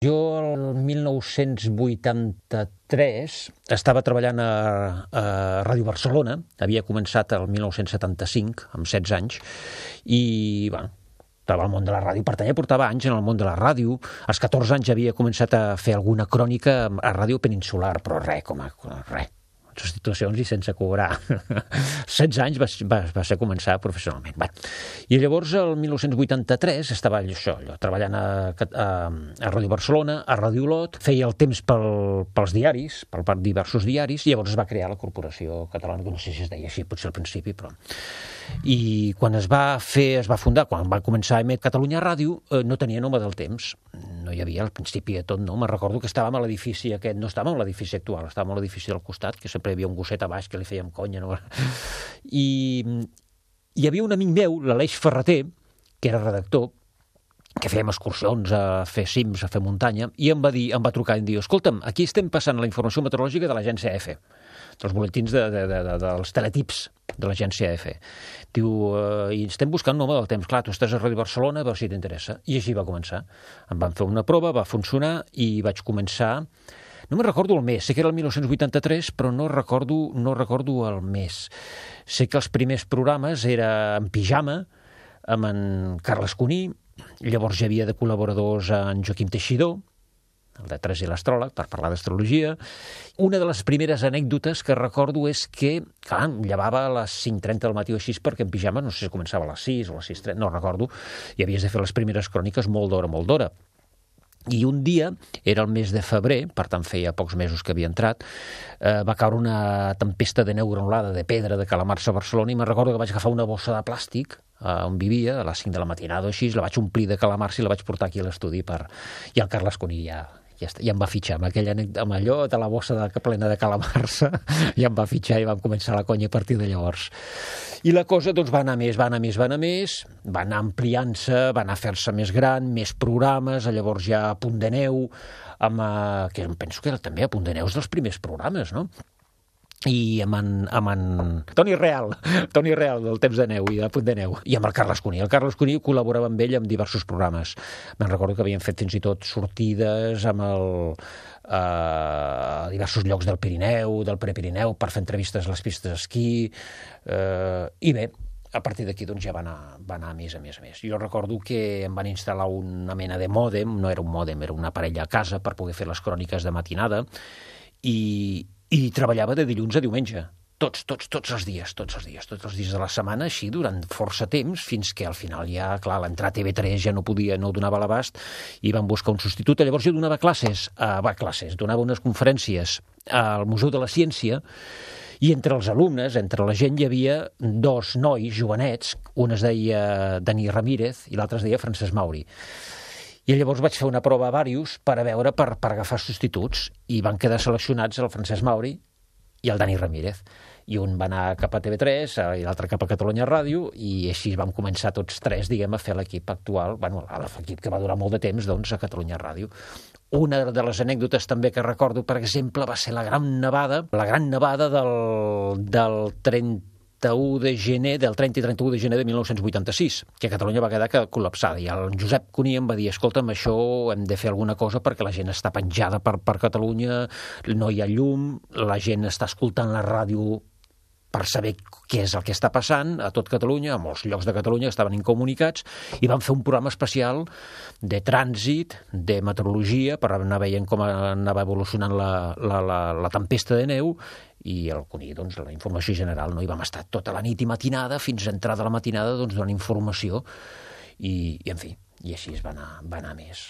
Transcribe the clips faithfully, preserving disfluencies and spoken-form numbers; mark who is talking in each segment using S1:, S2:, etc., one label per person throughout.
S1: Jo el mil nou-cents vuitanta-tres estava treballant a, a Ràdio Barcelona, havia començat el mil nou-cents setanta-cinc, amb setze anys, i, bueno, estava al món de la ràdio, pertanyia, portava anys en el món de la ràdio. Als catorze anys havia començat a fer alguna crònica a Ràdio Peninsular, però res, com a res, substitucions i sense cobrar. setze anys va, va, va ser començar professionalment. Bé. I llavors, el mil nou-cents vuitanta-tres, estava això, allò, treballant a, a, a Ràdio Barcelona, a Ràdio Olot, feia el temps pel, pels diaris, per diversos diaris, i llavors es va crear la Corporació Catalana, que no sé si es deia així, potser al principi, però... I quan es va fer, es va fundar, quan va començar a emetre Catalunya Ràdio, eh, no tenia nom del temps. No hi havia al principi de tot, no? Me'n recordo que estàvem a l'edifici aquest, no estàvem a l'edifici actual, estàvem a l'edifici del costat, que sempre hi havia un gosset a baix que li fèiem conya, no? I hi havia un amic meu, l'Aleix Ferreter, que era redactor, que fèiem excursions a fer cims, a fer muntanya, i em va dir, em va trucar i em diu, escolta'm, aquí estem passant la informació meteorològica de l'agència E F, dels boletins de, de, de, de, dels teletips de l'agència E F. Diu, eh, i estem buscant un home del temps. Clar, tu estàs a Ràdio Barcelona, a veure si t'interessa. I així va començar. Em van fer una prova, va funcionar, i vaig començar... No me'n recordo el mes, sé que era el mil nou-cents vuitanta-tres, però no recordo, no recordo el mes. Sé que els primers programes era en pijama, amb en Carles Cuní, llavors hi havia de col·laboradors en Joaquim Teixidor, el de Tres i l'Astròleg, per parlar d'astrologia. Una de les primeres anècdotes que recordo és que, clar, em llevava a les cinc trenta del matí o així, perquè en pijama, no sé si començava a les sis o a les sis trenta, no recordo, i havies de fer les primeres cròniques molt d'hora, molt d'hora. I un dia, era el mes de febrer, per tant feia pocs mesos que havia entrat, eh, va caure una tempesta de neu granulada de pedra de calamarsa a Barcelona, i me'n recordo que vaig agafar una bossa de plàstic eh, on vivia, a les cinc de la matinada o així, la vaig omplir de calamarsa i la vaig portar aquí a l'estudi per... I el Carles Cuní ja... Ja, està, ja em va fitxar amb, aquella, amb allò de la bossa de, plena de calamarsa, ja em va fitxar i vam començar la conya a partir de llavors. I la cosa doncs, va anar més, va anar més, va anar més, va anar ampliant-se, va anar a fer-se més gran, més programes, llavors ja a Punt de Neu, amb, que penso que era també a Punt de Neu dels primers programes, no? I amb en, amb en Toni Real, Toni Real del Temps de Neu i de Punt de Neu, i amb el Carles Cuní. El Carles Cuní col·laborava amb ell en diversos programes. Me'n recordo que havien fet fins i tot sortides amb el, a diversos llocs del Pirineu, del Prepirineu, per fer entrevistes a les pistes d'esquí, eh, i bé, a partir d'aquí doncs, ja va anar, va anar més a més a més. Jo recordo que em van instal·lar una mena de mòdem, no era un mòdem, era una parella a casa per poder fer les cròniques de matinada, i i treballava de dilluns a diumenge, tots, tots, tots els dies, tots els dies, tots els dies de la setmana, així durant força temps, fins que al final ja, clar, l'entrar a T V tres ja no podia, no donava l'abast, i van buscar un substitut. Llavors jo donava classes, eh, va, classes, donava unes conferències al Museu de la Ciència, i entre els alumnes, entre la gent, hi havia dos nois jovenets, un es deia Dani Ramírez i l'altre es deia Francesc Mauri. I llavors vaig fer una prova a Vàrius per a veure, per, per agafar substituts, i van quedar seleccionats el Francesc Mauri i el Dani Ramírez. I un va anar cap a T V tres i l'altre cap a Catalunya Ràdio, i així vam començar tots tres, diguem, a fer l'equip actual, bueno, l'equip que va durar molt de temps, doncs, a Catalunya Ràdio. Una de les anècdotes també que recordo, per exemple, va ser la gran nevada, la gran nevada del, del trenta de gener, del trenta i trenta-u de gener de mil nou-cents vuitanta-sis, que Catalunya va quedar col·lapsada, i el Josep Cuní em va dir, escolta'm, això hem de fer alguna cosa perquè la gent està penjada per, per Catalunya, no hi ha llum, la gent està escoltant la ràdio per saber què és el que està passant a tot Catalunya, a molts llocs de Catalunya estaven incomunicats, i van fer un programa especial de trànsit, de meteorologia, per anar veient com anava evolucionant la, la, la, la tempesta de neu, i el Cuní, doncs, la informació general, no? Hi vam estar tota la nit i matinada, fins a entrada a la matinada, doncs, donant informació, i, i en fi, i així es va anar, va anar més.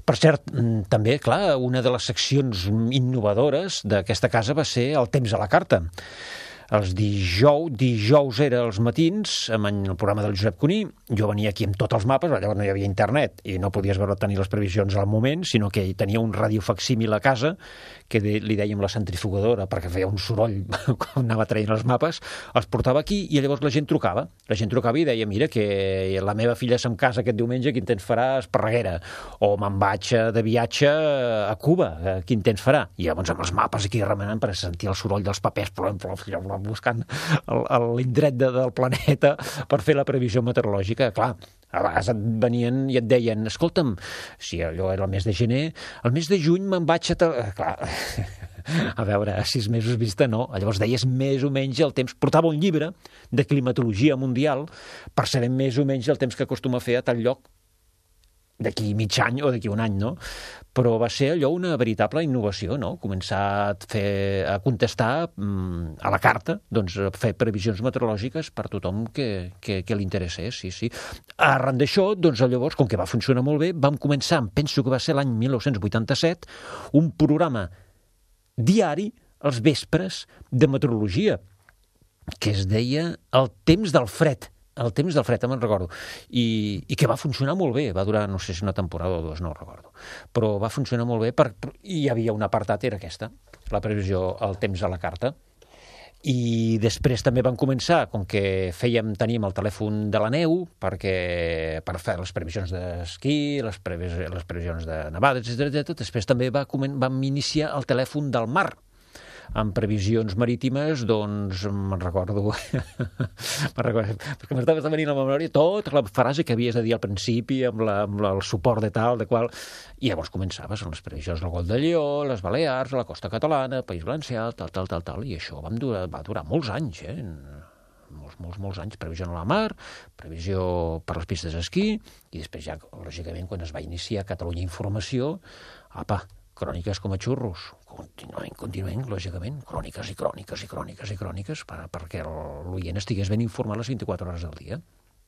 S1: Per cert, també, clar, una de les seccions innovadores d'aquesta casa va ser el temps a la carta. Els dijous, dijous era els matins, amb el programa del Josep Cuní, jo venia aquí amb tots els mapes, llavors no hi havia internet i no podies veure tenir les previsions al moment, sinó que tenia un radiofacsímil a casa, que de, li dèiem la centrifugadora, perquè feia un soroll quan anava traient els mapes, els portava aquí i llavors la gent trucava. La gent trucava i deia, mira, que la meva filla se'm casa aquest diumenge, quin temps farà a Esparreguera? O me'n vaig de viatge a Cuba, quin temps farà? I llavors amb els mapes aquí remenant per sentir el soroll dels papers, plom, plom, plom, buscant l'indret de, del planeta per fer la previsió meteorològica. Clar, a vegades et venien i et deien, escolta'm, si allò era el mes de gener, el mes de juny me'n vaig a... Clar, a veure, a sis mesos vista no. Llavors deies més o menys el temps. Portava un llibre de climatologia mundial per saber més o menys el temps que acostuma a fer a tal lloc d'aquí mig any o d'aquí un any, no? Però va ser allò una veritable innovació, no? Començar a, fer, a contestar mm, a la carta, doncs a fer previsions meteorològiques per tothom que, que, que li interessés, sí, sí. Arran d'això, doncs llavors, com que va funcionar molt bé, vam començar, penso que va ser l'any mil nou-cents vuitanta-set, un programa diari als vespres de meteorologia, que es deia El temps del fred. El temps del fred, me'n recordo. I, I que va funcionar molt bé. Va durar, no sé si una temporada o dues, no ho recordo. Però va funcionar molt bé. Per, i hi havia un apartat, era aquesta, la previsió, el temps a la carta. I després també van començar, com que fèiem, teníem el telèfon de la neu, perquè per fer les previsions d'esquí, les, previs, les previsions de nevades, etcètera. Després també va, vam iniciar el telèfon del mar, amb previsions marítimes, doncs, me'n recordo, me'n recordo, perquè m'estava venint a la memòria tota la frase que havies de dir al principi, amb, la, amb el suport de tal, de qual, i llavors començaves amb les previsions del Golf de Lió, les Balears, la costa catalana, País Valencià, tal, tal, tal, tal, i això vam durar, va durar molts anys, eh? molts, molts, molts anys, previsió a la mar, previsió per les pistes d'esquí, i després ja, lògicament, quan es va iniciar Catalunya Informació, apa, cròniques com a xurros, continuem, continuem, lògicament, cròniques i cròniques i cròniques i cròniques per, perquè l'oient estigués ben informat les vint-i-quatre hores del dia.